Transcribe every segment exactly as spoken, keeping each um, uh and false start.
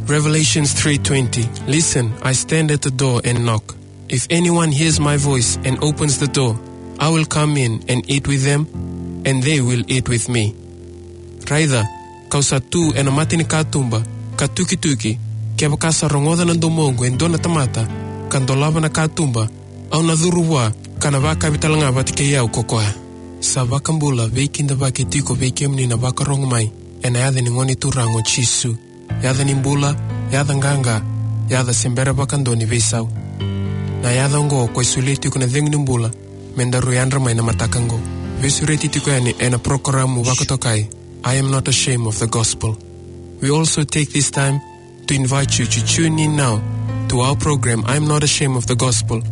Revelations three twenty. "Listen, I stand at the door and knock. If anyone hears my voice and opens the door, I will come in and eat with them, and they will eat with me." Raica, kau sa tu ena mata ni katuba, ka tukituki, kevaka sa rogoca na domoqu e dua na tamata, ka dolava na katuba, au na curu vua, ka na vakavi talega vata kei au ko koya. Sa vakabula veikidavaki tiko vei kemuni na vakarogo mai, ena yaca ni Gone Turaga o Jisu. Yaca ni bula, yaca qaqa, yaca se bera vakadua ni veisau. Na yaca oqo ko e solia tiko na cegu ni bula, me daru yadra mai na mataka oqo. Veisureti tiko yani ena porokaramu vakatokai, I Am Not Ashamed of the Gospel. We also take this time to invite you to tune in now to our program, I Am Not Ashamed of the Gospel,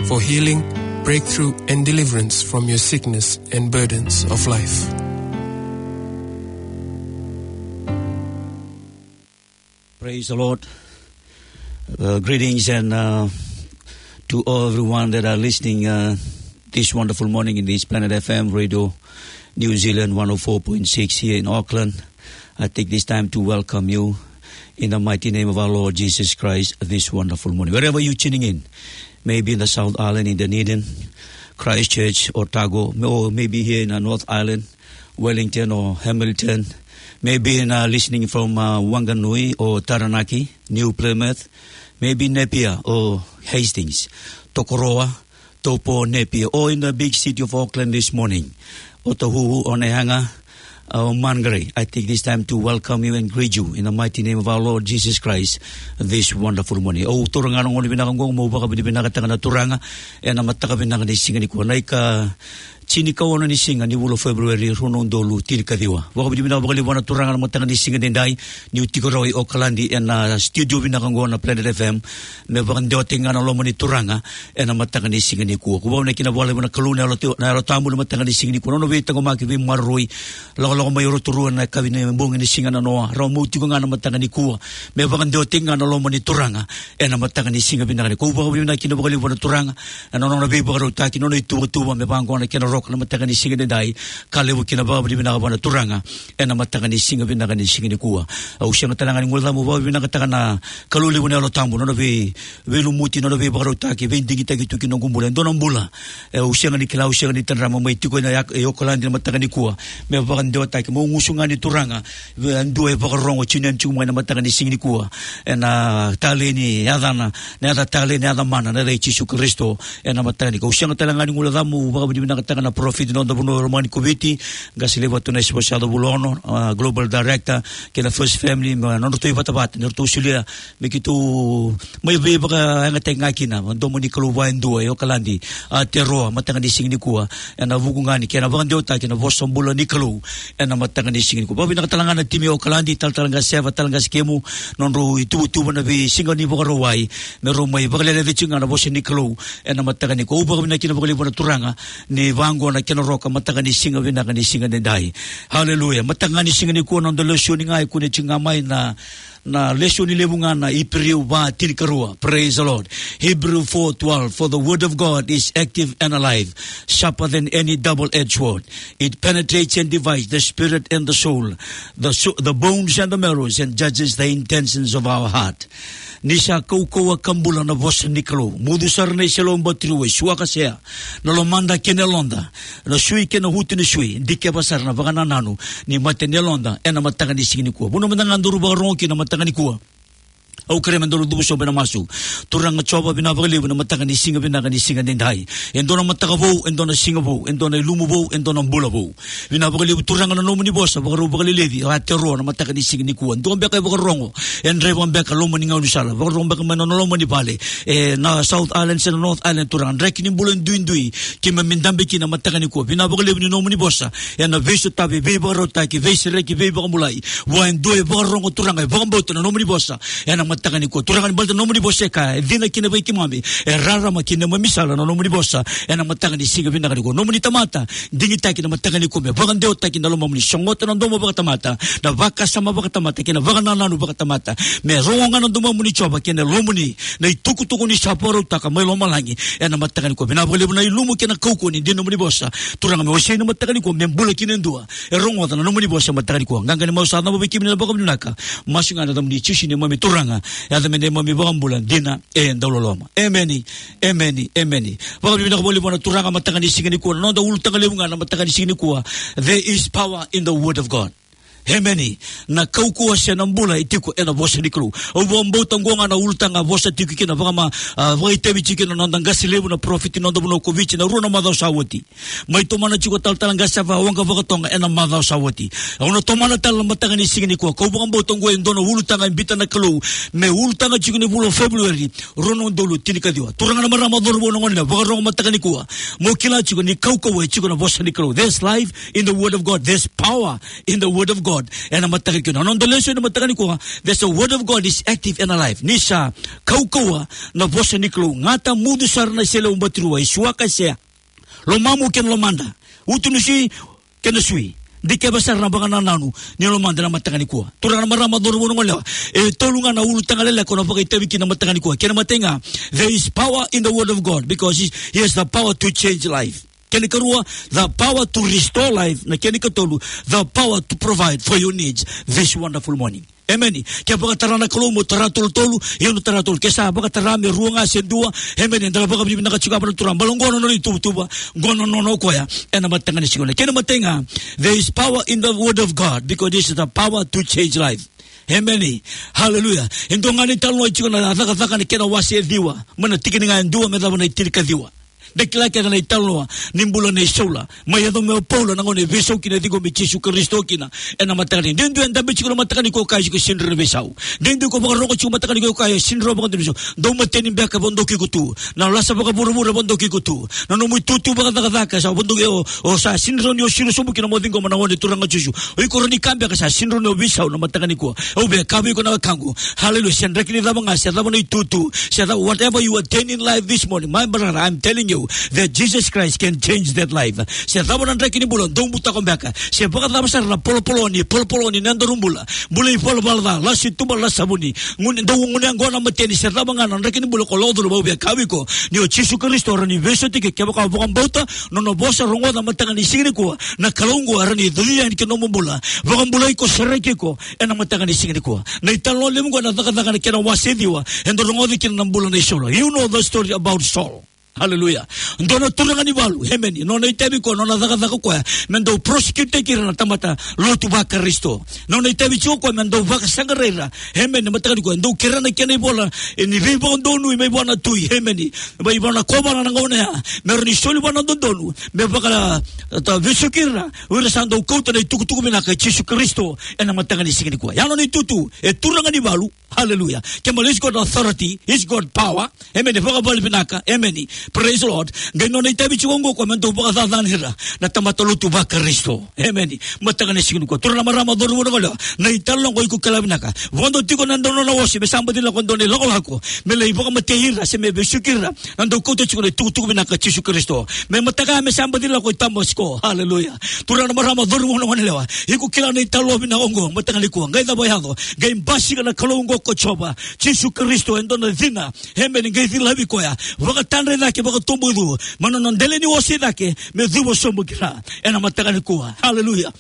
for healing, breakthrough, and deliverance from your sickness and burdens of life. Praise the Lord. Uh, greetings and, uh, to all everyone that are listening, uh, this wonderful morning in this Planet F M Radio New Zealand one oh four point six here in Auckland. I take this time to welcome you in the mighty name of our Lord Jesus Christ this wonderful morning. Wherever you're tuning in, maybe in the South Island, in Dunedin, Christchurch, Otago, or maybe here in the North Island, Wellington or Hamilton, maybe in, uh, listening from, uh, Wanganui or Taranaki, New Plymouth, maybe Napier or Hastings, Tokoroa, Taupo, Napier, or in the big city of Auckland this morning, Otahuhu, Onehunga, uh, Mangere. I take this time to welcome you and greet you in the mighty name of our Lord Jesus Christ this wonderful morning. Au taura ga na gauna vinaka oqo meu vakavinavinakataka na Turaga ena mataka vinaka ni siga nikua, na ika tinikaono ni siga ni vula o February, rua na udolu tinikaciwa. Vakavinavinaka vakalevu vua na Turaga na mataka ni siga edaidai, niu tiko rawa i Okaladi ena studio vinaka oqo na Planet F M, me vakadewataki ga na loma ni Turaga ena mataka ni siga nikua. Ko vakavinavinaka vakalevu na Kalou na Yalo, na Yalo Tabu na mataka ni siga nikua, nona veitaqomaki, veimaroroi, lakolako mai o Rotorua na kavi ni bogi ni siga nanoa, rau mai tiko ga na mataka nikua, me vakadewataki ga na loma ni Turaga ena mataka ni siga vinaka nikua. Au vakavinavinaka kina vakalevu vua na Turaga ena nona veivakarautaki, nona ituvatuva me vaqo na kena roka na mataka ni siga edaidai. Ka levu kina vakavinavinaka vua na Turaga ena mataka ni siga vinaka ni siga nikua. Au sega tale ga ni guileca meu vakavinavinakataka na Kalou levu na Yalo Tabu, nona vei, veilumuti, nona veivakarautaki, veidigitaki tu ki noqu bula, e dua na bula. E, au sega ni kila, au sega ni tadra meu mai tiko ena, e, Okaladi na mataka nikua, me vakadewataki, meu gusu ga ni Turaga, e dua e vakarorogo tiko yani tiko mai na mataka ni siga nikua, ena talei ni yacana, na yaca talei, na yaca mana, na yaca i Jisu Karisito, ena mataka nikua. Au sega tale ga ni guileca meu vakavinavinakataka na parofita ni noda vanua e loma ni Koviti, qase levu Atunaisa Vosacovulu Ono, a, Global Director kei na First Family, me nodratou ivatavata ni ratou solia me keitou mai veivakayagataki ga kina na domo ni Kalou vua e dua e Okaladi, Aotearoa, mataka ni siga nikua, ena vuku ga ni kena vakadewataki na vosa bula ni Kalou ena mataka ni siga nikua. Vakavinavinaka tale ga na timi e Okaladi, talatala qase Seva, talatala qase Kemu, nodrau ituvatuva na veisiga ni Vakarauwai, me rau mai vakaleleci ga na vosa ni Kalou ena mataka nikua. Au vakavinavinaka kina vakalevu vua na Turaga ni vaqo na kena roka mataka ni siga vinaka ni siga edaidai. Haleluya. Mataka ni siga nikua, noda lesoni ga e kune tiko ga mai na na lesoni levu ga na Iperiu va tinikarua. Praise the Lord. Hebrew four twelve, "For the word of God is active and alive, sharper than any double-edged sword. It penetrates and divides the spirit and the soul, the so-, the bones and the marrows, and judges the intentions of our heart." Ni sa kaukauwa ka bula na vosa ni Kalou. Mucu sara na iseleiwau batiriwai, suakasea na lomada kei na yaloda, na sui kei na uto ni sui, dikeva sara na vakanananu ni mata ni yaloda ena mataka ni siga nikua. Vanua mada ga daru vakarorogo kina na mataka nikua, au kerea me daru cuva sobu ena masu. Turaga Jiova, vinaka vakalevu na mataka ni siga vinaka ni siga edaidai. E dua na mataka vou, e dua na siga vou, e dua na ilumu vou, e dua na bula vou. Vinaka vakalevu Turaga na nomuni vosa, vakarau vakaleleci, Aotearoa na mataka ni siga nikua. Dua beka e vakarorogo, e draiva beka loma ni gaunisala, vakarorogo beka mai na nona loma ni vale, ena South Island se na North Island, Turaga, draki ni bula duidui, keimami dabe kina na mataka nikua. Vinaka vakalevu ni nomuni vosa ena veisotavi, veivakarautaki, veisereki, veivakabulai vua e dua e vakarorogo, Turaga, e vakabauta na nomuni vosa ena mataka nikua. Turaga ni baleta na nomuni vosa e kaya, e cina kina vei keimami, e rarama kina neimami sala na nomuni vosa, ena mataka ni siga vinaka nikua. Nomuni tamata, digitaki na mataka nikua, me vakadewataki na lomamuni, sogota na domo vakatamata, na vakasama vakatamata, kei na vakanananu vakatamata. Me rogo ga na domomuni Jiova, kei na lomamuni, na itukutuku ni sa vakarautaka mai lomalagi, ena mataka nikua. Vinaka vakalevu na ilumu kei na kaukauwa ni dina nomuni vosa. Turaga me wasei na mataka nikua, me bula kina e dua e rogoca na nomuni vosa mataka nikua. Qaqa ni masu sa cabo vei kemuni na vakavinavinaka. Masu ga ena yacamuni Jisu neimami Turaga. Yaca me neimami vakabula dina e dauloloma. Emeni. Emeni. Emeni. Vakavinavinaka vakalevu na Turaga mataka ni siga nikua. Na noda ulutaga levu ga na mataka ni siga nikua. There is power in the word of God. Emeni. Na kaukauwa se na bula e tiko ena vosa ni Kalou. Au vakabauta oqo ga na ulutaga vosa tiko kina vakama, ah, vakaitavi tiko kina na noda qase levu na parofita ni noda vanua ko Viti na rua na macawa sa oti. Mai tomana tiko talatala qase sa vakaoqa vakatoga ena macawa sa oti. Au na tomana tale na mataka ni siga nikua. Kau vakabauta oqo e dua na ulutaga e biuta na Kalou. Me ulutaga tiko ni vula o February, rua na udolu tinikaciwa. Turaga na marama, cauravou na gone, vakarogo mataka nikua. Mo kila tiko ni kaukauwa e tiko na vosa ni Kalou. There's life in the word of God. There's power in the word of God. Ena mataka nikua. Na noda lesoni mataka nikua. There's a word of God is active and alive. Ni sa kaukauwa na vosa ni Kalou. Gata, mucu sara na iseleiwau batirua, e suaka, e sea. Lomamu kei na lomada. Uto ni sui kei na sui. Dikeva sara na vakanananu ni lomada ena mataka nikua. Turaga na marama, cauravou na gone, e tolu ga na ulutaga leleka au na vakaitavi kina mataka nikua. Kena imatai ga, there is power in the word of God because he, he has the power to change life. Kena ikarua, the power to restore life. Na kena ikatolu, the power to provide for your needs this wonderful morning. Emeni. Ke vakatara na Kalou mo tara tolutolu, ia mo tara tolu. Ke sa vakatara me rua ga se dua. Emeni. Eda na vakavinavinaka tiko vua na Turaga. Baleta oqo na nona ituvatuva, oqo na nona o koya. Ena mataka ni siga nikua. Kena imatai ga, there is power in the word of God because this is the power to change life. Emeni. Hallelujah. E dua ga na italanoa e tiko ena Cakacaka na kena wase e ciwa, mai na tikina ga e dua me cava na itinikaciwa. Da kila kece na italanoa ni bula nei Saula. Mai yaco mai o Paula na gauna e veisau kina, ciqomi Jisu Karisito kina. Ena mataka ni, de dua e dabe tiko na mataka nikua, kaya tiko sega ni rawa ni veisau. De dua ko vakarogo tiko mataka nikua, kaya sega ni rawa vakadua ni veisau. Dau mateni beka, vodoki iko tu. Na lasa vakavuravura, vodoki iko tu. Na nomu itutu vakacakacaka sa vodoki, o, o sa sega ni rawa ni o siro sobu kina mo ciqoma na Gone Turaga o Jisu. O iko rawa ni kaya beka sa sega ni rawa ni o veisau na mataka nikua. Au via kaya vei iko na wekaqu. Hallelujah. Se draki ni cava ga, se cava na itutu, se cava, whatever you attain in life this morning, my brother, I'm telling you that Jesus Christ can change that life. Se cava na draki ni bula dou butako beka, se vakacava sara na polopoloni, polopoloni na nodaru bula, bula ivalavala ca, lasi tuba, lasi savuni, gunu, dou gunu yaqona, mateni, se cava ga na draki ni bula ko lako curuma, au via kaya vei iko, ni o Jisu Karisito rawa ni veisautaki iko kevaka o vakabauta na nona vosa, rogoca mataka ni siga nikua. Na Kalou oqo e rawa ni cuci yani ki na nomu bula, vakabulai iko, sereki iko ena mataka ni siga nikua. Na italanoa levu oqo ena Cakacaka na kena wase ciwa, eda rogoca kina na bula nei Saula. You know the story about Saul. Hallelujah. Dua na turaga ni valu, emeni. Nona itavi o koya, nona cakacaka o koya me dau prosecute-taki ira na tamata lotu vaKarisito. Nona itavi tiko o koya me dau vakasaqarai ira, emeni, mataka nikua. Dau kerea na kena ivola, e, ni veivakadonui mai vua na tui, emeni. Mai vua na kovana na gauna ya, me rawa ni soli vua na dodonu me vaka, e, ta vesuki ira o ira sa dau kauta na itukutuku vinaka i Jisu Karisito ena mataka ni siga nikua. Ya nona itutu, e turaga ni valu. Hallelujah. Kemali, he's got authority, he's got power. Emeni. Vakavale vinaka. Emeni. Praise the Lord. Qai nona itavi tiko oqo o koya me dau vakacacani ira na tamata lotu vaKarisito. Emeni. Mataka ni siga nikua, turaga na marama, cauravou na gone yalewa, na italanoa oqo iko kila vinaka. Vodo tiko na dua na nona ose me sa baci lako e dua na ilakolako me lai vakamatei ira se me vesuki ira na dau kauta tiko na itukutuku vinaka i Jisu Karisito. Me mataka me sa baci lako i Tamasiko. Hallelujah. Turaga na marama, cauravou na gone yalewa, iko kila na italanoa vinaka oqo mataka nikua. Qai cava yaco? Qai basika na Kalou oqo ko Jiova, Jisu Karisito, e dua na cina. Emeni. Qai cilavi koya, vakatadra i cake, vakatoboicu mai na nona dela ni ose i cake, me cuva sobu kina ena mataka nikua. Hallelujah.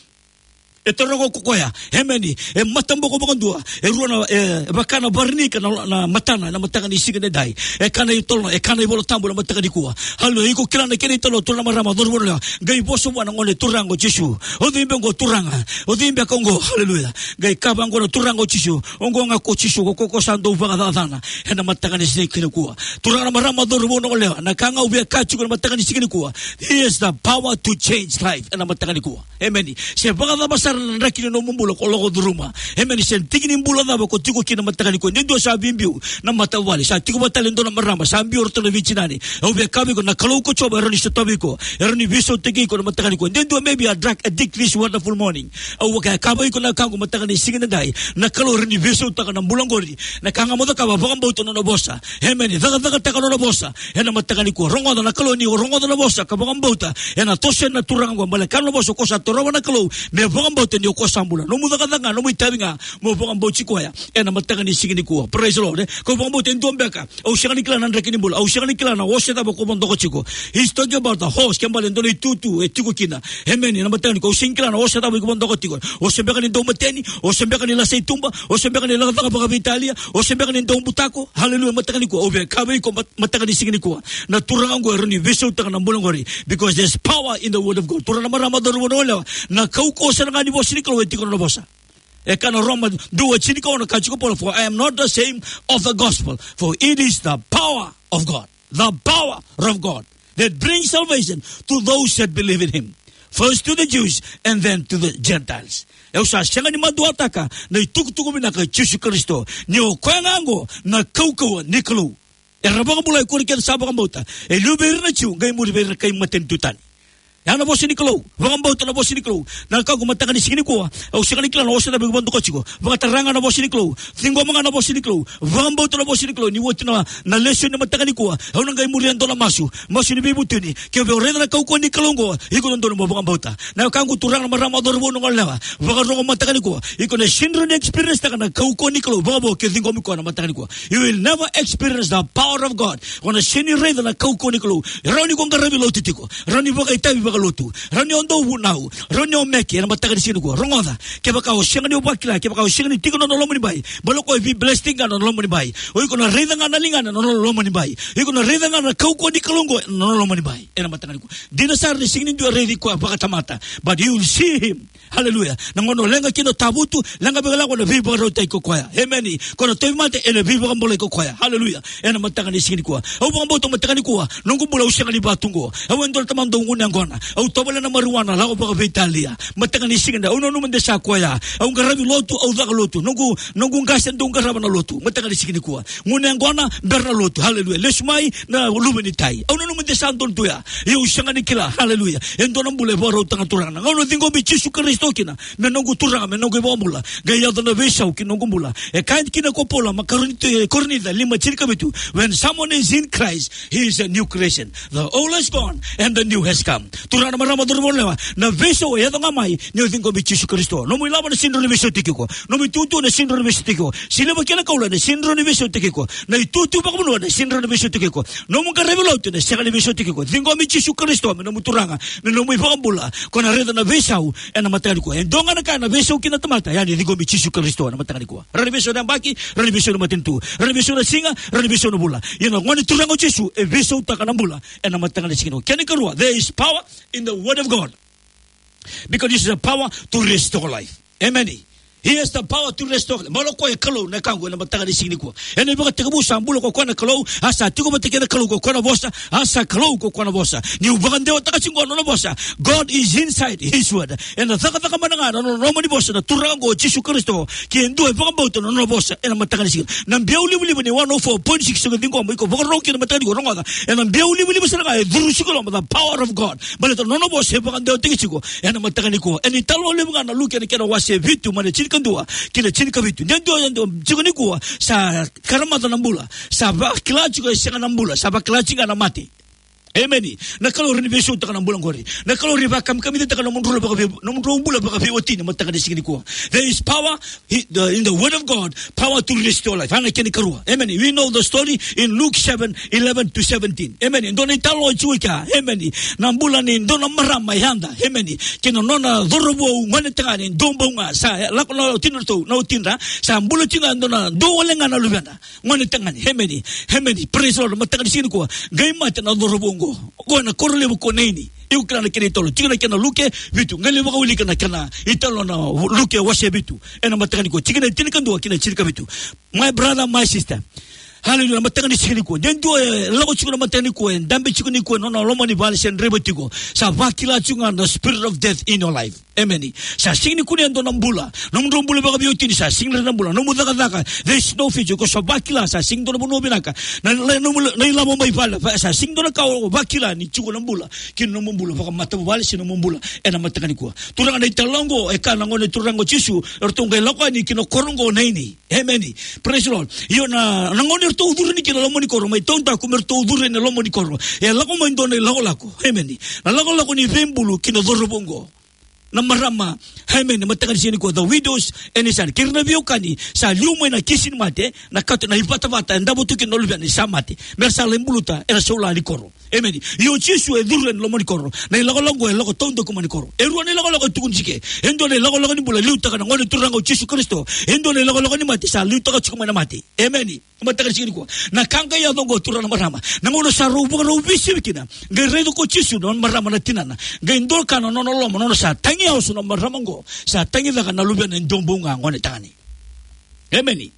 E toroka ko koya. Emeni. E mataboko vakadua. E rua na, e vaka na varinika na, na matana ena mataka ni siga nidai. E kaya na italanoa, e kaya na iVolatabu ena mataka nikua. Hallelujah. Iko kila na kena italanoa, turaga na marama, cauravou na gone yalewa. Qai vosa vua na Gone Turaga o Jisu. O cei beka oqo, turaga? O cei beka oqo? Hallelujah. Qai kaya vaqo na Turaga o Jisu, oqo ga ko Jisu, ko, ko, ko sa dau vakacacana ena mataka ni siga nikua. Turaga na marama, cauravou na gone yalewa, na ka ga au via kaya tiko ena mataka ni siga nikua, he has the power to change life ena mataka nikua. Emeni. Se vakacava sara na draki ni nomu bula ko lako curuma. Emeni. Se tiki ni bula cava ko tiko kina mataka nikua. De dua sa via biu na matavuvale. Sa tiko vata tale e dua na marama. Sa biu o ratou na veitinani. Au via kaya vei iko na Kalou ko Jiova e rawa ni sotavi iko. E rawa ni veisautaki iko na mataka nikua. De dua maybe a drug addict this wonderful morning. Au via kaya vei iko na wekaqu mataka ni siga nidai. Na Kalou e rawa ni veisautaka na bula qori. Na ka ga mo cakava, vakabauta na nona vosa. Emeni. Cakacakataka na nona vosa. Ena mataka nikua. Rogoca na Kalou, ni o rogoca na vosa ka vakabauta. Ena toso na Turaga qo, baleta na vosa ko sa torova na Kalou. Me vakabauta ni o koya sa bula. Nomu cakacaka ga, nomu itavi ga, mo vakabauti koya. Ena mataka ni siga nikua. Praise the Lord, eh? Ko vakabauta e dua beka. Au sega ni kila na draki ni bula. Au sega ni kila na ose cava ko vodoka tiko. He's talking about the horse. Ke bale dua na itutu e tiko kina. Emeni. Ena mataka nikua. Au sega ni kila na ose cava ko vodoka tiko. Ose beka ni dau mateni. Ose beka ni lasa i tuba. Ose beka ni lasa caka vakaveitalia. Ose beka ni dau butako. Hallelujah. Mataka nikua. Au via kaya vei iko mat-, mataka ni siga nikua. Na Turaga qo e rawa ni veisautaka na bula qori. Because there's power in the word of God. Turaga, na marama, cauravou, na goneyalewa. Na kaukauwa sara ga ni vosa ni Kalou e tiko na vosa. E kaya na Roma dua tinikaono, kaya tiko o Paula, "For I am not ashamed of the gospel, for it is the power of God." The power of God that brings salvation to those that believe in him. First to the Jews and then to the Gentiles. Au sa sega ni maduataka na itukutuku vinaka i Jisu Karisito. Ni o koya ga qo na kaukauwa ni Kalou. Era vakabulai ko ira kece sa vakabauta. E liu vei ira na Jiu, qai muri vei ira na kai matanitu tani. Ya na vosa ni Kalou. Vakabauta na vosa ni Kalou. Na wekaqu, mataka ni siga nikua, au sega ni kila na ose cava ko vodoka tiko. Vakatara ga na vosa ni Kalou. Ciqoma ga na vosa ni Kalou. Vakabauta na vosa ni Kalou. Ni oti na, na lesoni mataka nikua, au na qai muria e dua na masu. Masu ni veivutuni. Ke o raica na kaukauwa ni Kalou qo, iko dodonu mo vakabauta. Na wekaqu, turaga, na marama, cauravou, na goneyalewa, vakarogo mataka nikua. Iko na sega ni experience taka na kaukauwa ni Kalou vakavo ke o ciqomi koya na mataka nikua. You will never experience the power of God. O na sega ni raica na kaukauwa ni Kalou. Rawa ni ko qaravi lotu tiko. Rawa ni vakaitavi vakalotu. Rawa ni o dau vunau. Rawa ni o meke ena mataka ni siga nikua. Rogoca. Kevaka o sega ni vakila, kevaka o sega ni tiko ena nona loma ni bai, baleta o koya e vei blessing ena nona loma ni bai. O iko na raica ga na ligana ena nona loma ni bai. O iko na raica ga na kaukauwa ni Kalou qo ena nona loma ni bai. Ena mataka nikua. Dina sara ni sega ni dua e raici koya vakatamata. But you will see him. Hallelujah. Na gauna o leqa kina o tavutu, leqa vei, lako na veivakarautaki ko koya. Emeni. Ko na tauvimate, ena veivakabulai ko koya. Hallelujah. Ena mataka ni siga nikua. Au vakabauta mataka nikua. Noqu bula au sega ni vatu qo. Au e dua na tamata dau gunu yaqona. Au tovolea na marijuana, lako vakaveitalia. Mataka ni siga nikua. Au nanuma de sa koya. Au qaravi lotu, au caka lotu. Noqu, noqu qase dau qarava na lotu. Mataka ni siga nikua. Gunu yaqona, bera na lotu. Hallelujah. Lesu mai na luve ni tai. Au nanuma de sa donu tu ya. Ia au sega ni kila. Hallelujah. E dua na bula e vakarautaka na Turaga. Na gauna au ciqomi Jisu Karisito kina me noqu Turaga, me noqu iVakabula, qai yaco na veisau ki noqu bula. E kaya kina ko Paula mai Korinito, e, Korinica lima tinikavitu, "When someone is in Christ, he is a new creation. The old has gone and the new has come." Turaga, na marama, cauravou, na goneyalewa, na veisau e yaco ga mai ni o ciqomi Jisu Karisito. Nomu ilavo ena sega ni rawa ni veisautaki iko. Nomu itutu ena sega ni rawa ni veisautaki iko. Siliva kei na koula ena sega ni rawa ni veisautaki iko. Na itutu vakavanua ena sega ni rawa ni veisautaki iko. Nomu qaravi lotu ena sega ni veisautaki iko. Ciqomi Jisu Karisito me nomu Turaga, me nomu iVakabula. Ko na raica na veisau ena mataka nikua. E dua ga na ka ena veisau kina na tamata, ya ni ciqomi Jisu Karisito ena mataka nikua. Rawa ni veisau na yabaki, rawa ni veisau na matanitu, rawa ni veisau na siga, rawa ni veisau na vula. Ia na Gone Turaga o Jisu e veisautaka na bula ena mataka ni siga nikua. Kena ikarua, there is power in the word of God. Because this is a power to restore life. Amen. He has the power to restore. Baleta o koya e Kalou, na wekaqu, ena mataka ni siga nikua. Ena ivakatekivu sa bula ko koya na Kalou, a sa tiko vata kei na Kalou ko koya na Vosa, a sa Kalou ko koya na Vosa. Niu vakadewataka tiko qo na nona vosa. God is inside his word. Ena cakacaka mana ga na nona loma ni vosa na Turaga qo o Jisu Karisito. Ke dua e vakabauta na nona vosa ena mataka ni siga. Na biau livaliva ni one oh four point six, o ciqoma, iko vakarorogo kina mataka nikua, rogoca. Ena biau livaliva sara ga e curu tiko e loma, the power of God. Baleta na nona vosa e vakadewataki tiko ena mataka nikua. Ena italanoa levu ga na Luke ena kena wase vitu mai na tinikadua ki na tinikavitu. De dua, de dua tiko nikua sa karamaca na bula. Sa vakila tiko e sega na bula. Sa vakila tiko ga na mate. Amen. Na Kalou e rawa ni veisautaka na bula qori. Na Kalou e rawa ni vakamikamicataka nomudrau bula vakavei-, nomudrau bula vakaveiwatini mataka ni siga nikua. There is power, he, the, in the word of God, power to restore life. Ena kena ikarua. Amen. We know the story in Luke seven, eleven to seventeen. Amen. E dua na italanoa e tiko kea. Amen. Na bula ni dua na marama e yada. Amen. Kei na nona cauravou gonetagane, dua bau ga. Sa lako na watidra, na watidra. Sa bula tiko ga e dua na, dua wale ga na luvena. Gonetagane, amen, amen. Praise the Lord. Mataka ni siga nikua, qai mate na cauravou qo. Qo ena koro levu ko Naini. Iko kila na kena italanoa. Tiko na kena Luke vitu. Qai lai vakawilika na kena italanoa na Luke wase vitu. Ena mataka nikua. Tikina e tinikadua ki na tinikavitu. My brother, my sister. Hallelujah. Na mataka ni siga nikua, de dua e lako tiko na mataka nikua, e dabe tiko nikua ena nona loma ni vale se draiva tiko, sa vakila tiko ga na spirit of death in your life. Emeni. Sa sega ni kunea e dua na bula. Nomudrau bula vakaveiwatini, sa sega ni dua na bula. Nomu cakacaka, there is no future. Ko sa vakila, sa sega ni dua na vanua vinaka. Na, na, nomu, na ilavo mai vale, va-, sa sega ni dua na ka o vakila ni tiko na bula kina nomu bula vakamatavuvale se nomu bula ena mataka nikua. Turaga, na italanoa oqo e kaya na Gone Turaga o Jisu, eratou qai lako yani kina koro oqo na ini. Emeni. Praise the Lord. Io, na, na gauna eratou curu yani kina loma ni koro, mai taudaku me ratou curu ena loma ni koro, e lako mai dua na ilakolako. Emeni. Na lakolako ni veibulu kina cauravou oqo. Na marama, emeni, mataka ni siga nikua, the widows and his son. Kei ira na veiwekani, sa liu mai na kisi ni mate, na kato, na ivatavata e davo tu kina na luvena ni sa mate. Mera sa lai buluta ena saula ni koro. Emeni. Io, Jisu e curu ena loma ni koro. Na ilakolako e lako taudaku mai na koro. E rua na ilakolako e tukuni tiko. E dua na ilakolako ni bula, liutaka na Gone Turaga o Jisu Karisito. E dua na ilakolako ni mate, sa liutaka tiko mai na mate. Emeni. Mataka ni siga nikua, na ka qai yaco oqo, turaga, na marama, na gauna sa rau vakarau veisivi kina, qai raica ko Jisu na marama na tinana, qai doka na nona loma, nona sa tagi yaso na marama oqo, sa tagi cake na luvena e duabau ga, gone tagane. Emeni.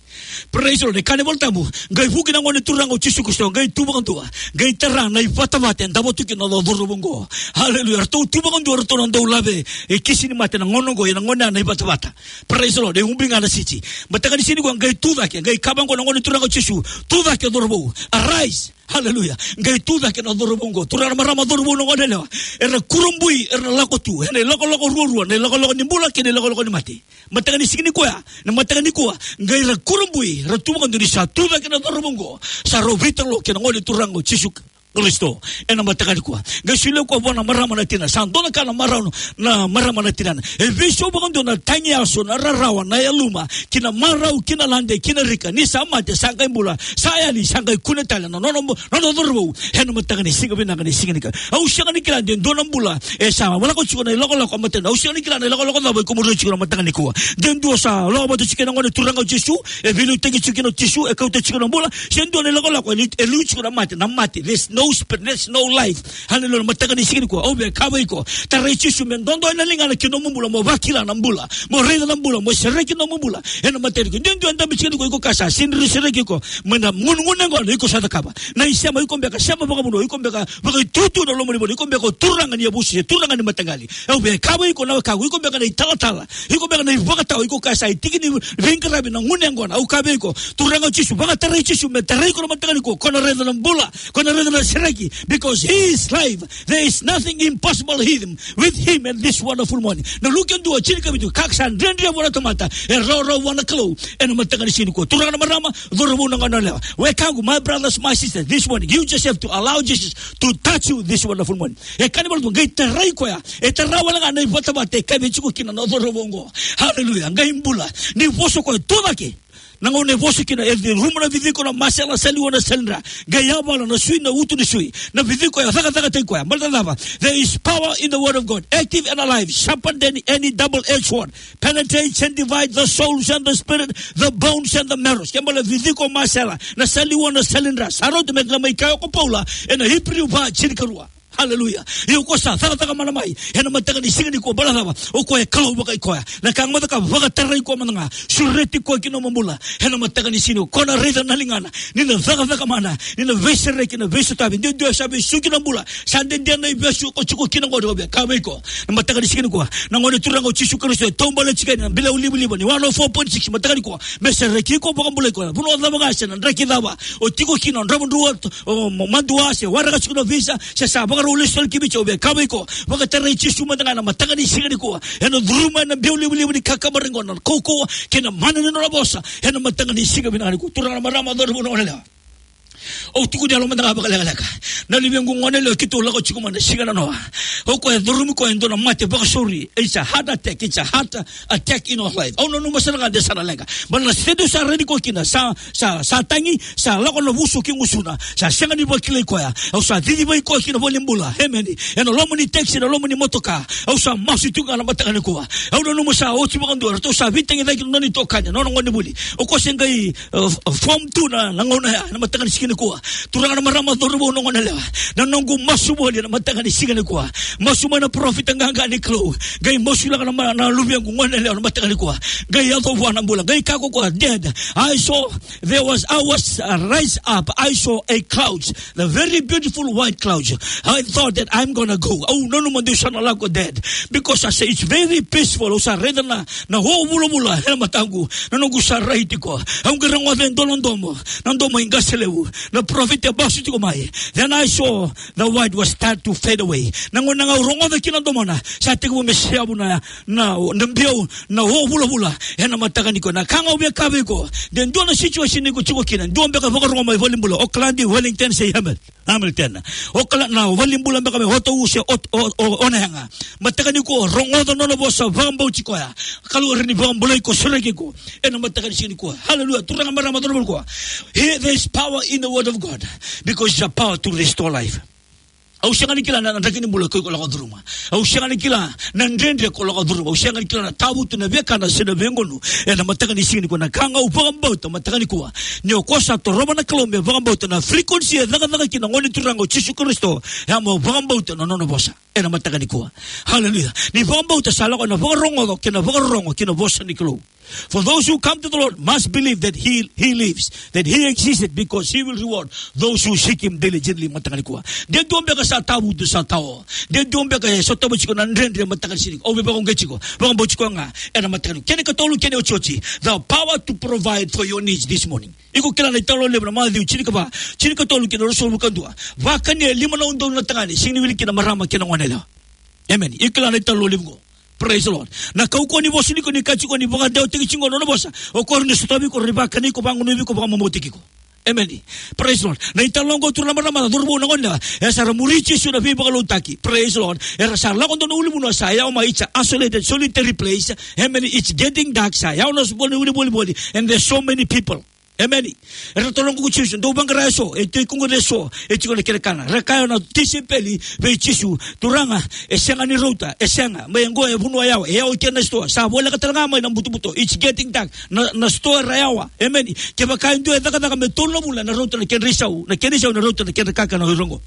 Praise the Lord. E kaya na iVolatabu, qai vuki na Gone Turaga o Jisu Karisito, qai tu vakadua, qai tara na ivatavata e davo tu kina na cauravou oqo. Hallelujah. Eratou tu vakadua, eratou na dau lave e kisi ni mate na gauna oqo, ia na gauna ya na ivatavata. Praise the Lord. E ubi ga na siti. Mataka ni siga nikua, qai tu cake, qai kaya vaqo na Gone Turaga o Jisu, tu cake, cauravou. Arise. Hallelujah. Qai tu cake na cauravou oqo. Turaga, na marama, cauravou, na goneyalewa, era kurabui, era na lako tu ena ilakolako ruarua, na ilakolako ni bula kei na ilakolako ni mate. Mataka ni siga nikua, na mataka nikua, qai ra kurabui, ra tu vakadua ni sa tu cake na cauravou oqo. Sa rau veitalanoa kei na Gone Turaga o Jisu Karisito ena mataka nikua. Qai solia koya vua na marama na tina. Sa dua na ka na marau na marama na tinana. E veisau vakadua na tagi yaso, na rarawa, na yaluma, kei na marau, kei na lade, kei na rika. Ni sa mate, sa qai bula, sa yali, sa qai kune tale na nona, nona cauravou ena mataka ni siga vinaka ni siga nikua. Au sega ni kila de dua na bula e sa lako tiko na ilakolako a mataka. Au sega ni kila na ilakolako cava iko muria tiko na mataka nikua. De dua sa lako vata tiko kei na Gone Turaga o Jisu, e veiliutaki tiko kina o Jisu, e kauta tiko na bula. Se dua na ilakolako e liu, e liu tiko na mate, na mate. There's no spirit, there's no life. Hallelujah. Mataka ni siga nikua, au via kaya vei iko, tarai Jisu me dodo ena ligana ki nomu bula, mo vakila na bula, mo raica na bula, mo sereki nomu bula ena mataka nikua. De dua e dabe tiko nikua, iko kaya sa sega ni sereki iko mai na gunegune oqo, iko sa cakava na isema, iko beka sema vakavanua, iko beka vakaitutu na loma ni vanua, iko beka o turaga ni yavusa se turaga ni mataqali. Au via kaya vei iko na wekaqu, iko beka na italatala, iko beka na ivakatawa, iko kaya sa itiki ni veiqaravi na gunu yaqona. Au kaya vei iko, Turaga o Jisu, vakatarai Jisu me tarai iko na mataka nikua, ko na raica na bula, ko na raica na sereki, because he is life. There is nothing impossible with him, with him at this wonderful morning. Na Luke dua, tinikavitu, ka sa dredre vua na tamata e rawarawa vua na Kalou ena mataka ni siga nikua. Turaga, na marama, cauravou, na goneyalewa, wekaqu, my brothers, my sisters, this morning you just have to allow Jesus to touch you this wonderful morning. E kaya na iVolatabu, qai tarai koya. E tara wale ga na ivatavata e kaive tiko kina na cauravou oqo. Hallelujah. Qai bula. Ni vosa koya, tu cake. Na gauna e vosa kina, e curuma na viciko, na masela, saliwa, na salidra. Qai yavala na sui, na uto ni sui. Na viciko e cakacakataki koya. Baleta na cava? There is power in the word of God, active and alive, sharper than any double-edged sword, penetrates and divides the souls and the spirit, the bones and the marrows. Ke bale viciko, masela, na saliwa, na salidra, sa rauta me na mai kaya ko Paula ena Iperiu va, tinikarua. Hallelujah. Ia o koya sa cakacaka mana mai ena mataka ni siga nikua, baleta na cava? O koya e Kalou vakaikoya. Na ka ga mo cakava, vakatarai koya mada ga, sureti koya ki nomu bula ena mataka ni siga nikua. Ko na raica na ligana ni na cakacaka mana, ni na veisereki, na veisotavi. Duidui sa vesuki na bula, sa dede na ivesu ko tiko kina qori. Au via kaya vei iko na mataka ni siga nikua, na Gone Turaga o Jisu Karisito e taubale tiko yani na Bilau Livaliva ni one oh four point six mataka nikua, me sereki iko, vakabulai iko. Vanua cava ga se na draki cava o tiko kina, o Dravudravua, o Ma-, Madua, se waraka tiko na visa, se sa vakarau lesu tale ki Viti, au via kaya vei iko, vakatarai Jisu mada ga ena mataka ni siga nikua. Ena curuma ena Biau Livaliva ni kakabare qo na kaukauwa kei na mana ni nona vosa ena mataka ni siga vinaka nikua. Turaga, na marama, cauravou, na goneyalewa, au tukuna yalo mada ga vakalekaleka. Na luvequ goneyalewa, keitou lako tiko mai na siga nanoa. O koya e curumi koya e dua na mate vakasauri. It's a heart attack. It's a heart attack in our life. Au nanuma sara ga de sa na leqa. Baleta na sede au sa rai nikua kina, sa, sa, sa tagi, sa lako na vuso ki gusuna. Sa sega ni vakilai koya. Au sa cicivaki koya ki na valenibula. Emeni. Ena loma ni taxi, ena loma ni motoka. Au sa masu tu ga na mataka nikua. Au nanuma sa oti vakadua, ratou sa veitagicaki na nona itokani, na nona gonevuli. O koya se qai, uh, f-, form two na, na gauna ya, na mataka ni siga nikua. Turaga na marama, cauravou, na goneyalewa, na noqu masu voli ena mataka ni siga nikua. Masu mai na parofita qaqa ni Kalou. Qai masulaka na ma-, na luvequ goneyalewa ena mataka nikua. Qai yaco vua na bula. Qai kaya o koya, "Dad, I saw, there was, I was, uh, rise up. I saw a cloud, the very beautiful white cloud. I thought that I'm gonna go." Au nanuma niu sa na lako, Dad. Because I say it's very peaceful. Au sa raica na, na o vulavula ena mataqu. Na noqu sa rai tiko. Au qai rogoca e dua na domo. Na domo i qase levu. Na parofita e masu tiko mai. Then I saw the white was start to fade away. Na gauna ga au rogoca kina na domona, sa tekivu me seavu na, na, na biau, na o vulavula ena mataka nikua. Na ka ga au via kaya vei iko, de dua na situation iko tiko kina, dua beka vakarogo mai valenibula, Oakland, Wellington se Hamil-, Hamilton. Oakland, na valenibula beka mai Otahuhu se Ot-, O-, O-, Onehunga. Mataka nikua, rogoca na nona vosa, vakabauti koya. Kalou e rawa ni vakabulai iko, sereki iko ena mataka ni siga nikua. Hallelujah. Turaga, marama, cauravou, nikua. Here, there is power in the word of God, because it's a power to restore life. Au sega ni kila na, na draki ni bula ko iko lako curuma. Au sega ni kila na dredre ko lako curuma. Au sega ni kila na tavutu, na vekana se na vegunu ena mataka ni siga nikua. Na ka ga au vakabauta mataka nikua, ni o koya sa torova na Kalou me vakabauta na frequency e cakacaka kina na Gone Turaga o Jisu Karisito, e a mo vakabauta na nona vosa ena mataka nikua. Hallelujah. Ni vakabauta, sa lako na vakarogoco kei na vakarorogo kei na vosa ni Kalou. For those who come to the Lord must believe that he, he lives, that he existed, because he will reward those who seek him diligently. Mataka nikua, de dua beka sa tavutu, sa tao. De dua beka e sotava tiko na dredre mataka ni siga nikua. Au via vakauqeti iko, vakabauti koya ga ena mataka nikua. Kena ikatolu, kena iotioti, the power to provide for your needs this morning. Iko kila na italanoa levu na Maciu tinikava, tinikatolu kei na ruasagavulu ka dua. Vakani e lima na udolu na tagane, sega ni wili kina marama kei na goneyalewa. Amen. Iko kila na italanoa levu qo. Praise the Lord. Na kaukauwa ni vosa ni ko ni kaya tiko ni vakadewataki tiko na nona vosa. O koya rawa ni sotavi iko, rawa ni vakani iko, vagunuvi iko, vakamamautaki iko. Amen. Praise the Lord. Na italanoa qo, turaga, marama, cauravou, na goneyalewa, era sa muri Jisu na veivakalougatataki. Praise the Lord. Era sa lako dua na ulunivanua sa yawa mai, it's a isolated, solitary place. Amen. It's getting dark. Sa yawa na voli, voli, voli, voli. And there's so many people. Amen. Era taroga ko Jisu, dou vaqara eso, e tiko qo eso, e tiko na kena kana. Ra kaya na tisaipeli vei Jisu, Turaga, e sega ni rauta, e sega. Mai qo e vanua yawa, e yawa kina na sitoa. Sa voleka tale ga mai na butobuto. It's getting dark. Na, na sitoa era yawa. Amen. Kevaka e dua e cakacaka me tolu na vula, ena rauta na kedra isau, na kena isau ena rauta na kedra kakana o ira qo.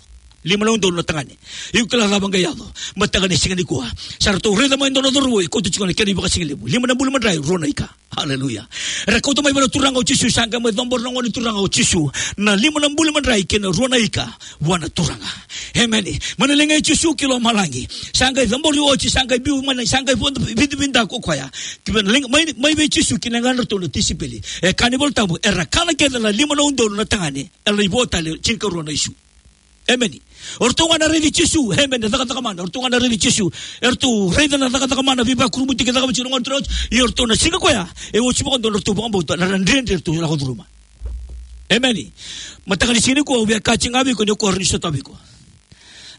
Lima na udolu na tagane. Iko kila cava qai yaco mataka ni siga nikua. Sa ratou raica mai e dua na cauravou e kauta tiko na kena ivakasigalevu. Lima na bula madrai, rua na ika. Hallelujah. Era kauta mai vua na Turaga o Jisu, sa qai mai cabora na Gone Turaga o Jisu na lima na bula madrai kei na rua na ika vua na Turaga. Amen. Mai na liga i Jisu ki lomalagi. Sa qai cabori oti, sa qai biu mai na, sa qai vodo vidavidai ko koya. Ki mai na liga, mai, mai vei Jisu ki na ligadratou na tisaipeli. E kaya na iVolatabu, era kana kece na lima na udolu na tagane, era lai vo tale tinikarua na isu. Amen. O ratou ga na raici Jisu, amen, na cakacaka mana. O ratou ga na raici Jisu. O ratou raica na cakacaka mana, veivakurabuitaki e cakava tiko na Gone Turaga. Ia o ratou na siga koya, e oti vakadua na ratou vakabauta, na dredre ratou lako curuma. Amen. Mataka ni siga nikua, au via kaya tiko ga vei iko ni o koya rawa ni sotavi iko.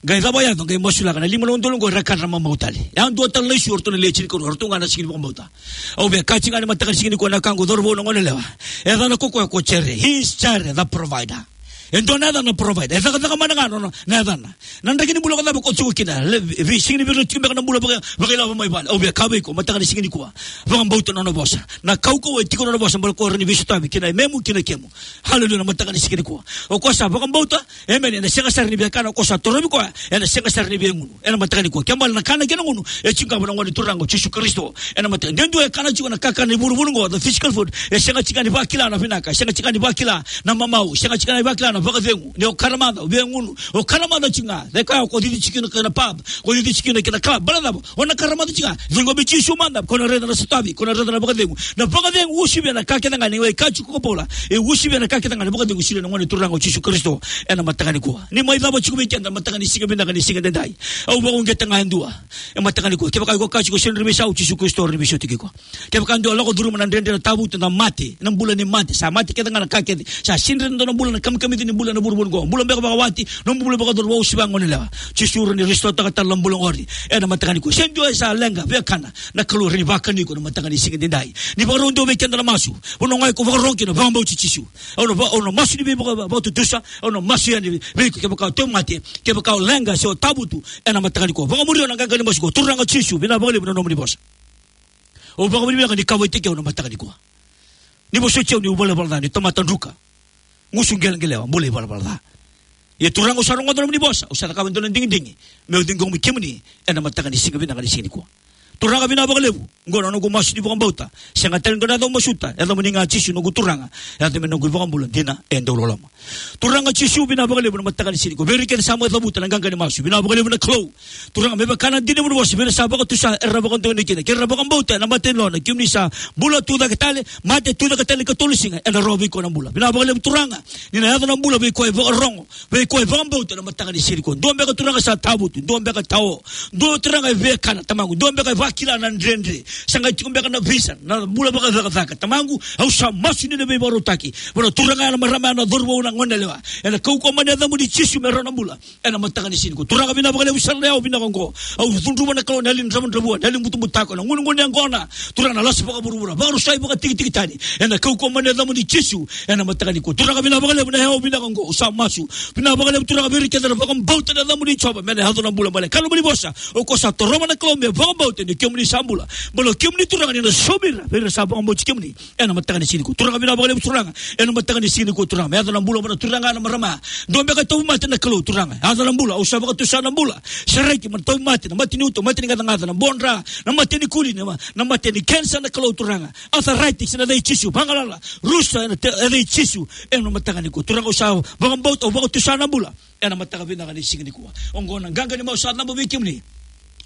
Qai cava yaco, qai masulaka na lima na udolu qo, era kana, ra mamau tale. E a dua tale na isu, o ratou na lewe tinikarua, o ratou ga na sega ni vakabauta. Au via kaya tiko ga ni mataka ni siga nikua, na wekaqu, cauravou, na goneyalewa. E yacana ko koya ko Jaire. He is Jaire, the provider. E dua na yacana, provider. E cakacaka mana ga na, na, na yacana. Na draki ni bula ko cava ko tiko kina. Le, vei, sega ni vei ira tiko beka na bula vaka, vakailavo mai vale. Au via kaya vei iko mataka ni siga nikua, vakabauta na nona vosa. Na kaukauwa e tiko na nona vosa, baleta o koya rawa ni veisotavi ki na yamemu, ki na kemu. Hallelujah, na mataka ni siga nikua. O koya sa vakabauta, amen, ena sega sara ni via kana. O koya sa torovi koya, ena sega sara ni via gunu. Ena mataka nikua, kena ibalebale na kana kei na gunu e tiko ga vua na Gone Turaga o Jisu Karisito. Ena mataka, de dua e kana tiko na kakana ni vuravura qo, the physical food, e sega tiko ga ni vakila na vinaka, e sega tiko ga ni vakila na mamau, e sega tiko ga ni vakila na vakacegu. Ni o karamaca, o via gunu, o karamaca tiko ga. Dai koya ko cici tiko kina na pub, ko cici tiko kina na club, baleta cava? O na karamaca tiko ga. Ciqomi Jisu mada, ko na raica na sotavi, ko na raica na vakacegu. Na vakacegu e uasivi ena ka kece ga, ni wai kaya tiko ko Paula, e uasivi ena ka kece ga na vakacegu, solia na Gone Turaga o Jisu Karisito. Ena mataka nikua, ni mai cava tiko vei keda na mataka ni siga vinaka ni siga edaidai. Au vakauqeta ga e dua. E mataka nikua, kevaka iko kaya tiko, sega ni rawa ni veisau, Jisu Karisito rawa ni veisautaki iko. Kevaka dua lako curuma na dredre, na tavutu, na mate, na bula ni mate, sa mate kece ga na ka kece, sa sega ni dua na bula, na kamikamica ni bula ena vuravura qo, bula beka vakawati, nomu bula vakacauravou, se vakagoneyalewa. Jisu rawa ni restore-taka tale na bula qori. Ena mataka nikua, se dua e sa leqa, via kana, na Kalou rawa ni vakani iko na mataka ni siga edaidai. Ni vakarau dua vei keda na masu. Vanua ga iko vakarorogo kina, vakabauti Jisu. Au na va-, au na masu ni veivaka-, vakatutusa, au na masu yani vei iko, kevaka o tauvimate, kevaka o leqa se o tavutu, ena mataka nikua. Vakamuria na qaqa ni masu qo. Turaga Jisu, vinaka vakalevu na nomuni vosa. Au vakavinavinaka ni kauwaitaki au na mataka nikua. Ni vosoti au niu valavala ca, niu tamata druka. gusu qeleqelewa, bula ivalavala ca. Ia Turaga, au sa rogoca na nomuni vosa, au sa cakava e dua na digidigi meu ciqomi kemuni ena mataka ni siga vinaka ni siga nikua. Turaga, vinaka vakalevu. Oqo na noqu masu ni vakabauta. Sega tale ni dua na yaca au masuta, yacamuni ga Jisu noqu Turaga, yaca me noqu iVakabula dina e dau loloma. Turaga Jisu, vinaka vakalevu na mataka ni siga nikua. Vei ira kece sa mai cavuta na qaqa ni masu, vinaka vakalevu na Kalou. Turaga, me vaka na dina ni nomuni vosa, vei ira sa vakatusa, era na vakadonui kina, kei ira na vakabauta ena mata ni yalona, kemuni sa bula, tucake tale, mate, tucake tale, ikatolu ni siga, ena rawa vei koya na bula. Vinaka vakalevu Turaga, ni na yaco na bula vei koya e vakarogo, vei koya e vakabauta ena mataka ni siga nikua. Dua beka Turaga sa tavutu, dua beka tao, dua Turaga e via kana, Tamaqu, dua beka e vakila na dredre, sa qai tiko beka na visa, na bula vakacakacaka. Tamaqu, au sa masu ni na veivakarautaki vua na turaga ya, na marama ya, na cauravou, na goneyalewa, ena kaukauwa mai na yacamuni Jisu, me rawa na bula ena mataka ni siga nikua. Turaga, vinaka vakalevu sara na yawa vinaka oqo. Au cudruva na Kalou na yali ni dravudravua, na yali ni butabutako, na gunegune yaqona. Turaga, na lasa vakavuravura, vakarusai, vakatikitiki tani, ena kaukauwa mai na yacamuni Jisu ena mataka nikua. Turaga, vinaka vakalevu na yawa vinaka oqo. Au sa masu, vinaka vakalevu Turaga, vei ira kece era vakabauta na yacamuni Jiova, me na yaco na bula mai na ka nomuni vosa. O koya sa torova na Kalou me vakabauta ni kemuni sa bula. Baleta o kemuni Turaga ni na saumi ira, vei ira sa vakabauti kemuni ena mataka ni siga nikua. Turaga, vinaka vakalevu Turaga, ena mataka ni siga nikua Turaga, me yaco na bula vua na turaga, na marama. Dua beka e tauvimate na Kalou Turaga, yaco na bula, au sa vakatusa na bula. Sereki mai na tauvimate, na mate ni uto, mate ni gacagaca, na bodra, na mate ni kuli, na ma-, na mate ni kenisa na Kalou Turaga. Arthritis, ena yaca i Jisu, vagalala, rusa, ena te-, yaca i Jisu ena mataka nikua. Turaga, au sa vakabauta, au vakatusa na bula ena mataka vinaka ni siga nikua. Oqo na qaqa ni masu sa cabo vei kemuni.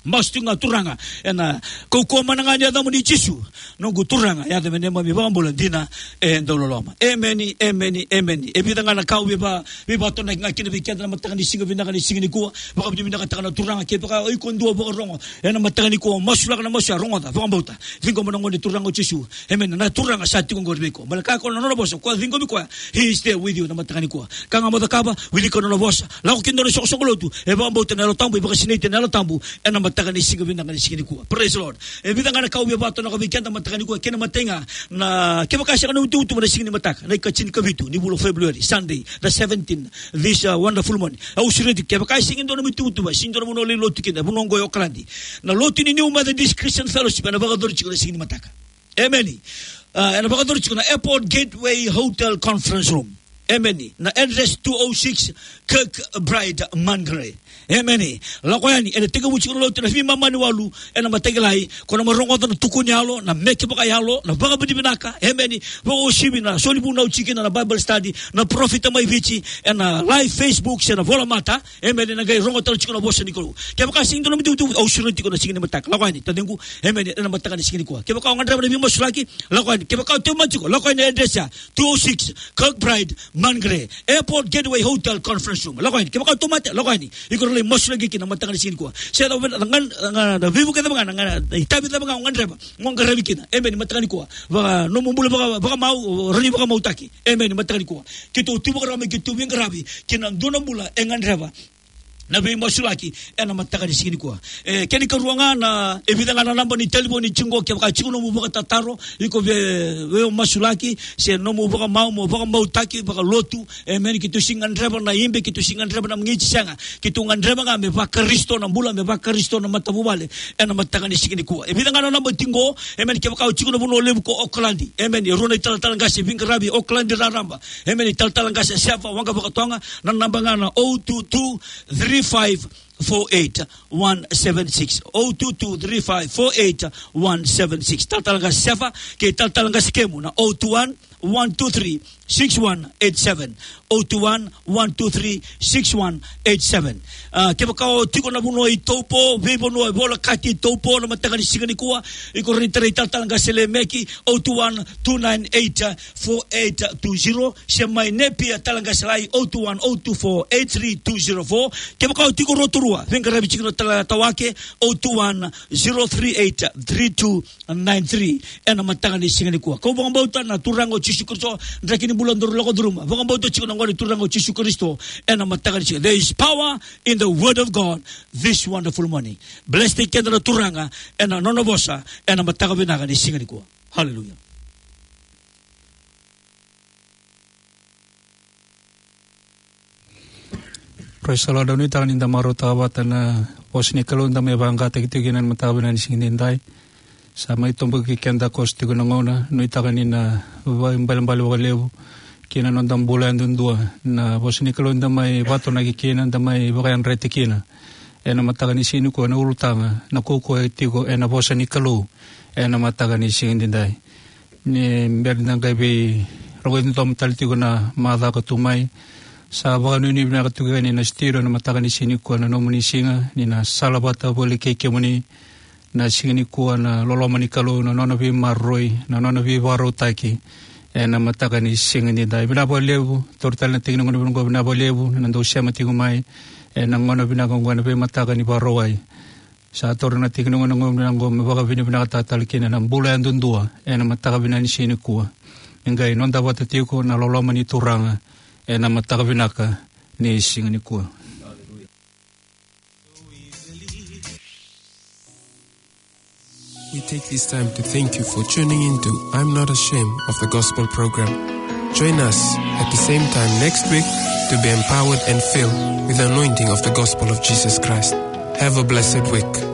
Masu tiko ga Turaga, ena kaukauwa mana ga ni yacamuni Jisu noqu Turaga, yaca me neimami iVakabula dina e dau loloma. Emeni, emeni, emeni. E vica ga na ka au via va-, veivakatonaki ga kina vei keda na mataka ni siga vinaka ni siga nikua. Vakavinavinakataka na Turaga, kevaka o iko dua vakarogo ena mataka nikua, masulaka na masu ya, rogoca, vakabauta. Ciqoma na Gone Turaga o Jisu. Emeni. Na Turaga sa tiko oqori vei iko. Baleta o koya na nona vosa, o koya ciqomi koya, he is there with you na mataka nikua. Ka ga mo cakava, wilika na nona vosa. Lako ki na nona isoqosoqo lotu, e vakabauta na Yalo Tabu, e vakasinaiti ena Yalo Tabu ena mataka ni siga vinaka ni siga nikua. Praise the Lord. E vica ga na ka au via vakataroga vei keda mataka nikua, kena imatai ga, na kevaka e sega na nomu ituvatuva na siga ni mataka, na ikatini ka vitu ni vula o February, Sunday the seventeenth, this, uh, wonderful morning. Au sureti, kevaka e sega e dua na nomu ituvatuva, sega e dua na vanua o lai lotu kina, vanua oqo e Okaladi. Na lotu ni New Methodist Christian Fellowship ena vakayacori tiko na siga ni mataka. Emeni. Ah, ena vakayacori tiko na Airport Gateway Hotel Conference Room. Emeni. Na address two oh six Kirkbride, Mangere. Emeni. Lako yani, ena tekivu tiko na lotu ena veimama ni walu ena mataka lailai, ko na mai rogoca na tukuni yalo, na meke vakayalo, na vakavinavinaka. Emeni. Vakauasivi na soli vunau tiko kina na Bible study, na parofita mai Viti, ena live Facebook se na volamata. Emeni, na qai rogo tale tiko na vosa ni Kalou. Kevaka sega e dua na nomu ituvatuva, au sureti tiko na siga ni mataka. Lako yani, taciqu. Emeni, ena mataka ni siga nikua. Kevaka o gadreva na veimasulaki, lako yani. Kevaka o tauvimate tiko, lako yani na address ya. Two oh six Kirkbride, Mangere. Airport Gateway Hotel Conference Room. Lako yani. Kevaka o tauvimate, lako yani. Iko na lai masulaki kina na mataka ni siga nikua. Se na, na, na, na, na veivuke cava ga, na, na, na itavi cava ga o gadreva, mo qaravi kina. Emeni, mataka nikua. Vaka, nomu bula vaka, vakamau, o rawa ni vakamautaki. Emeni, mataka nikua. Keitou tu vakarau me keitou veiqaravi kina dua na bula e gadreva na veimasulaki ena mataka ni siga nikua. E, kena ikarua ga na, e vica ga na naba ni talevoni tiko qo, kevaka tiko nomu vakatataro, iko via, via masulaki, se nomu vakamau, mo vakamautaki vakalotu. Emeni, keitou sega ni gadreva na ibe, keitou sega ni gadreva na magiti, sega. Keitou gadreva ga me vaKarisito na bula, me vaKarisito na matavuvale ena mataka ni siga nikua. E vica ga na naba tiko qo, emeni, kevaka o tiko na vanua levu ko Okaladi. Emeni, e rua na italatala qase veiqaravi Okaladi raraba. Emeni, talatala qase Sefa Waqavakatoga, na naba ga na oh two two three five four eight one seven six. Oh two two three five four eight one seven six. Talatala qase Sefa, kei talatala qase Kemu na oh two one, one two three, six one eight seven. Oh two one, one two three, six one eight seven. Ah, kevaka o tiko na vanua i Taupo, veivanua e volekati i Taupo, na mataka ni siga nikua, iko rawa ni tarai talatala qase Lemeki, oh two one, two nine eight, four eight two zero, se mai Napier, talatala qase Lai, oh two one, oh two four, eight three two zero four. Kevaka o tiko Rotorua, veiqaravi tiko na talatala Tawake, oh two one, zero three eight, three two nine three, ena mataka ni siga nikua. Kau vakabauta na Turaga o Jisu Karisito, draki ni bula daru lako curuma. Vakabauta tiko na Gone Turaga o Jisu Karisito, ena mataka ni siga. There is power in the word of God this wonderful morning. Bless-taki keda na Turaga ena nona vosa, ena mataka vinaka ni siga nikua. Hallelujah. Praise the Lord. Au nuitaka ni da marautaka vata na vosa ni Kalou da mai vaqataki tiko kina ena mataka vinaka ni siga nidai. Sa mai toboki keda koso tiko na gauna, nuitaka ni na vakaibalebale vakalevu ki na noda bula yadudua, na vosa ni Kalou da mai vatonaki kina, da mai vakayadrati kina. Ena mataka ni siga nikua na ulutaga, na kaukauwa e tiko ena vosa ni Kalou ena mataka ni siga nidai. Ni bera ni da qai veirogoci domo tale tiko na macawa ka tu mai, sa vakanuinui vinaka tiko yani na studio ena mataka ni siga nikua na nomuni siga, ni na sala vata voli kei kemuni, na siga nikua na loloma ni Kalou, na nona veimaroroi, na nona veivakarautaki, ena mataka ni siga nidai. Vinaka vakalevu, taura tale na tiki ni gauna vinaka oqo, vinaka vakalevu na dau sema tiko mai ena gauna vinaka oqo ena veimataka ni Vakarauwai. Sa taura na tiki ni gauna vinaka oqo me vakavinavinakataka tale kina na bula yadudua ena mataka vinaka ni siga nikua. Ni qai noda vata tiko na loloma ni Turaga ena mataka vinaka ni siga nikua. We take this time to thank you for tuning in to I'm Not Ashamed of the Gospel program. Join us at the same time next week to be empowered and filled with the anointing of the gospel of Jesus Christ. Have a blessed week.